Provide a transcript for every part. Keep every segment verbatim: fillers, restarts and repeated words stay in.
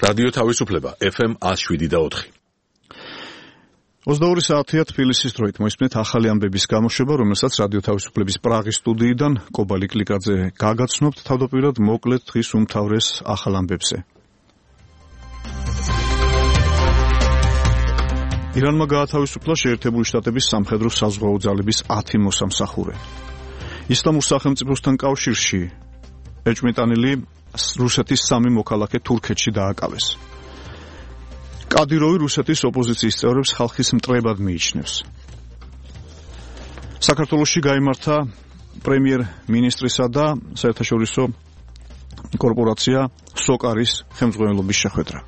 რადიო თავისუფლება ეფ ემ ათს შვიდი და ოთხი. ოცდაორი საათია თბილისის დროით მოისმენთ ახალი ამბების გამოშვება, რომელსაც რადიო თავისუფლების პრაღის სტუდიიდან კობალი კლიკაძე გაგაცნობთ. თავდაპირველად მოკლედ დღის უმთავრეს ახალ ამბებზე. ირანმა გაათავისუფლა შეერთებული შტატების სამხედრო-საზღვაო ძალების ათი მოსამსახურე. ისლამურ სახელმწიფოსთან კავშირში ეჭვმიტანილი რუსეთის სამი მოქალაქე თურქეთში დააკავეს. კადიროვი რუსეთის ოპოზიციის წევრებს ხალხის მტრებად მიიჩნევს. საქართველოში გაიმართა პრემიერ-მინისტრისა და საერთაშორისო კორპორაცია სოკარის ხელმძღვანელობის შეხვედრა.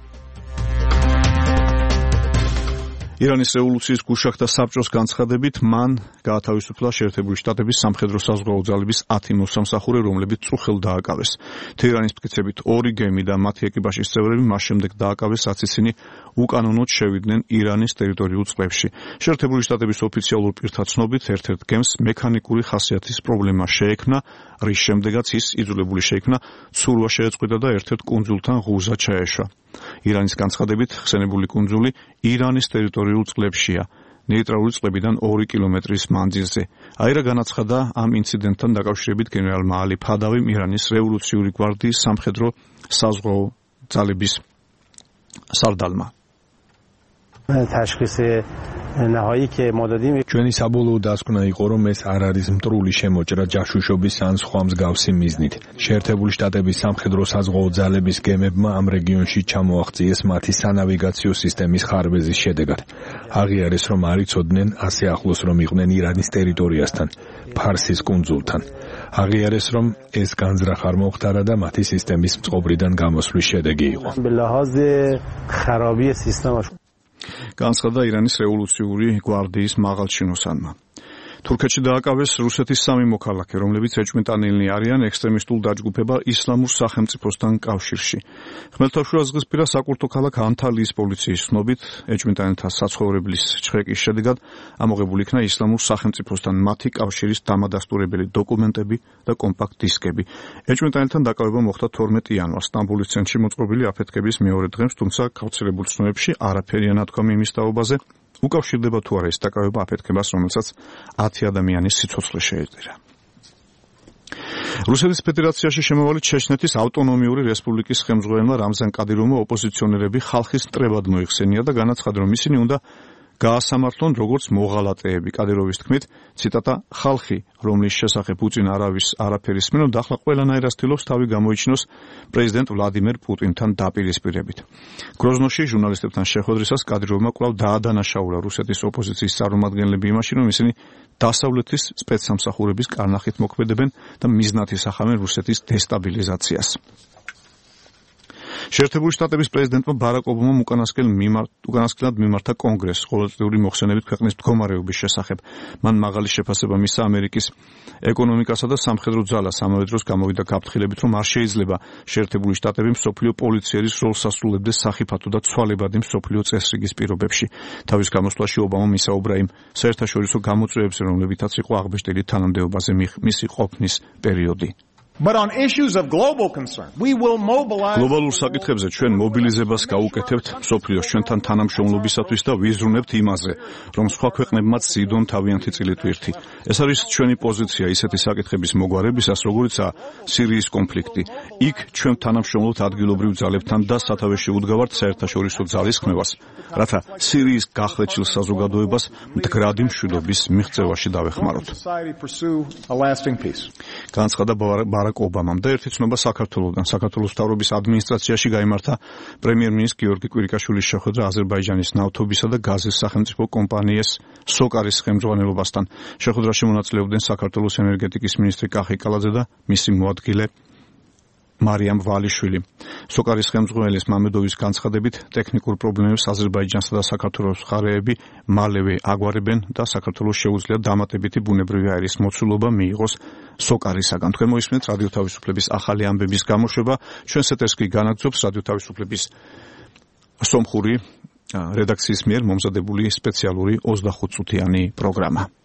ირანის რევოლუციის გუშაგთა საბჭოს განცხადებით მან გაათავისუფლა შეერთებული შტატების სამხედრო-საზღვაო ძალების ათი მოსამსახურე, რომლებიც წუხელ დააკავეს. თეირანის მტკიცებით ორი გემი და მათი ეკიპაჟის წევრები მას შემდეგ დააკავეს, რაც ისინი უკანონოდ შევიდნენ ირანის ტერიტორიულ წყლებში. შეერთებული შტატების ოფიციალურ პირთა ცნობით, ერთ-ერთ გემს მექანიკური ხასიათის პრობლემა შეექმნა, რის შემდეგაც ის იძულებული შეიქნა ცურვა შეეწყვიტა და ერთ-ერთ კუნძულთან ღუზა ჩაეშვა. ირანის განცხადებით, ხსენებული კუნძული ირანის ტერიტორიულ წყლებშია, ნეიტრალური წყლებიდან ორი კილომეტრის მანძილზე. აირა განაცხადა ამ ინციდენტთან დაკავშირებით გენერალმა ალი ფადავიმ, ირანის რევოლუციური გვარდიის სამხედრო საზღვაო ძალების სარდალმა. ჩვენი საბოლოო დასკვნა იყო, რომ ეს არ არის მტრული შემოჭრა ჯაშუშობის ან სხვა მსგავსი მიზნით. შეერთებული შტატების სამხედრო-საზღვაო ძალების გემებმა ამ რეგიონში ჩამოაღწიეს მათი სანავიგაციო სისტემის ხარბეზის შედეგად. აღიარეს, რომ არ იცოდნენ ასე ახლოს რომ იყვნენ ირანის ტერიტორიასთან, ფარსის კუნძულთან. აღიარეს, რომ ეს განზრახ არ მოხდარა და მათი სისტემის წყობრიდან გამოსვლის შედეგი იყო. განცხადა ირანის რევოლუციური გვარდიის მაღალჩინოსანმა. თურქეთში დააკავეს რუსეთის სამი მოქალაქე, რომლებიც ეჭვმიტანილნი არიან ექსტრემისტულ დაჯგუფება ისლამურ სახელმწიფოსთან კავშირში. ხმელთაშუაზღვისპირა საკურთხო ქალაქ ანთალიის პოლიციის ცნობით, ეჭვმიტანილთა საცხოვრებლის ჩხრეკის შედეგად ამოღებული იქნა ისლამურ სახელმწიფოსთან მათი კავშირის დამადასტურებელი დოკუმენტები და კომპაქტ დისკები. ეჭვმიტანილთან დაკავება მოხდა თორმეტი იანვარს სტამბოლის ცენტრში მოწყობილი აფეთქების მეორე დღეს, თუმცა გავრცელებულ ცნობებში არაფერია ნათქვამი იმის თაობაზე, უკავშირდება თუ არა ეს დაკავება აფეთქებას, რომელსაც ათი ადამიანის სიცოცხლე შეეწირა. რუსეთის ფედერაციაში შემავალი ჩეჩნეთის ავტონომიური რესპუბლიკის ხელმძღვანელმა რამზან კადიროვმა ოპოზიციონერები ხალხის მტრებად მოიხსენია და განაცხადა, რომ ისინი უნდა გაასამართლონ როგორც მოღალატეები. კადიროვის თქმით, ციტატა, ხალხი, რომლის შესახებ უწინ არავის არაფერი სმენოდა, ახლა ყველანაირად ცდილობს თავი გამოიჩინოს პრეზიდენტ ვლადიმერ პუტინთან დაპირისპირებით. გროზნოში ჟურნალისტებთან შეხვედრისას კადიროვმა კვლავ დაადანაშაულა რუსეთის ოპოზიციის წარმომადგენლები იმაში, რომ ისინი დასავლეთის სპეცსამსახურების კარნახით მოქმედებენ და მიზნად ისახავენ რუსეთის დესტაბილიზაციას. შეერთებული შტატების პრეზიდენტმა ბარაკ ობამამ უკანასკნელად მიმართა კონგრესს ყოველწლიური მოხსენებით ქვეყნის მდგომარეობის შესახებ. მან მაღალი შეფასება მისცა ამერიკის ეკონომიკასა და სამხედრო ძალას. ამავე დროს გამოვიდა გაფრთხილებით, რომ არ შეიძლება შეერთებული შტატები მსოფლიო პოლიციერის როლს ასრულებდეს სახიფათო და ცვალებადი მსოფლიო წესრიგის პირობებში. თავის გამოსვლაში ობამამ ისაუბრა იმ საერთაშორისო გამოწვევებზე, რომლებითაც იყო აღბეჭდილი თანამდებობაზე მისი ყოფნის პერიოდი. But on issues of global concern, we will mobilize გლობალურ საკითხებზე ჩვენ მობილიზებას გავუკეთებთ მსოფლიოს ჩვენთან თანამშრომლობისათვის და ვიზრუნებთ იმაზე, რომ სხვა ქვეყნებმაც ზიდონ თავიანთი წილითვირთი. ეს არის ჩვენი პოზიცია ისეთი საკითხების მოგვარებისას, როგორიცაა სირიის კონფლიქტი. იქ ჩვენ თანამშრომლობთ ადგილობრივ ძალებთან და სათავეში უდგავართ საერთაშორისო ძალისხმევას, რათა სირიის გახლეჩილ საზოგადოებას მდგრადი მშვიდობის მიღწევაში დავეხმაროთ. განაცხადა ბარაკ ობამამ და ერთი ცნობა საქართველოსთან. საქართველოს მთავრობის ადმინისტრაციაში გაიმართა პრემიერ-მინისტრ გიორგი კვირიკაშვილის შეხვედრა აზერბაიჯანის ნავთობისა და გაზის სახელმწიფო კომპანიას სოკარის ხელმძღვანელობასთან. შეხვედრაში მონაწილეობდნენ საქართველოს ენერგეტიკის მინისტრი კახი კალაძე და მისი მოადგილე მარიამ ვალიშვილი. სოკარის ხელმძღვანელის მამედოვის განცხადებით, ტექნიკურ პრობლემებს აზერბაიჯანსა და საქართველოს მხარეები მალევე აგვარებენ და საქართველოს შეუძლია დამატებითი ბუნებრივი აირის მოცულობა მიიღოს სოკარისაგან. თქვენ მოისმენთ რადიო თავისუფლების ახალი ამბების გამოშვება. ჩვენს ეთერს კი განაგრძობს რადიო თავისუფლების სომხური რედაქციის მიერ მომზადებული სპეციალური ოცდახუთ წუთიანი პროგრამა.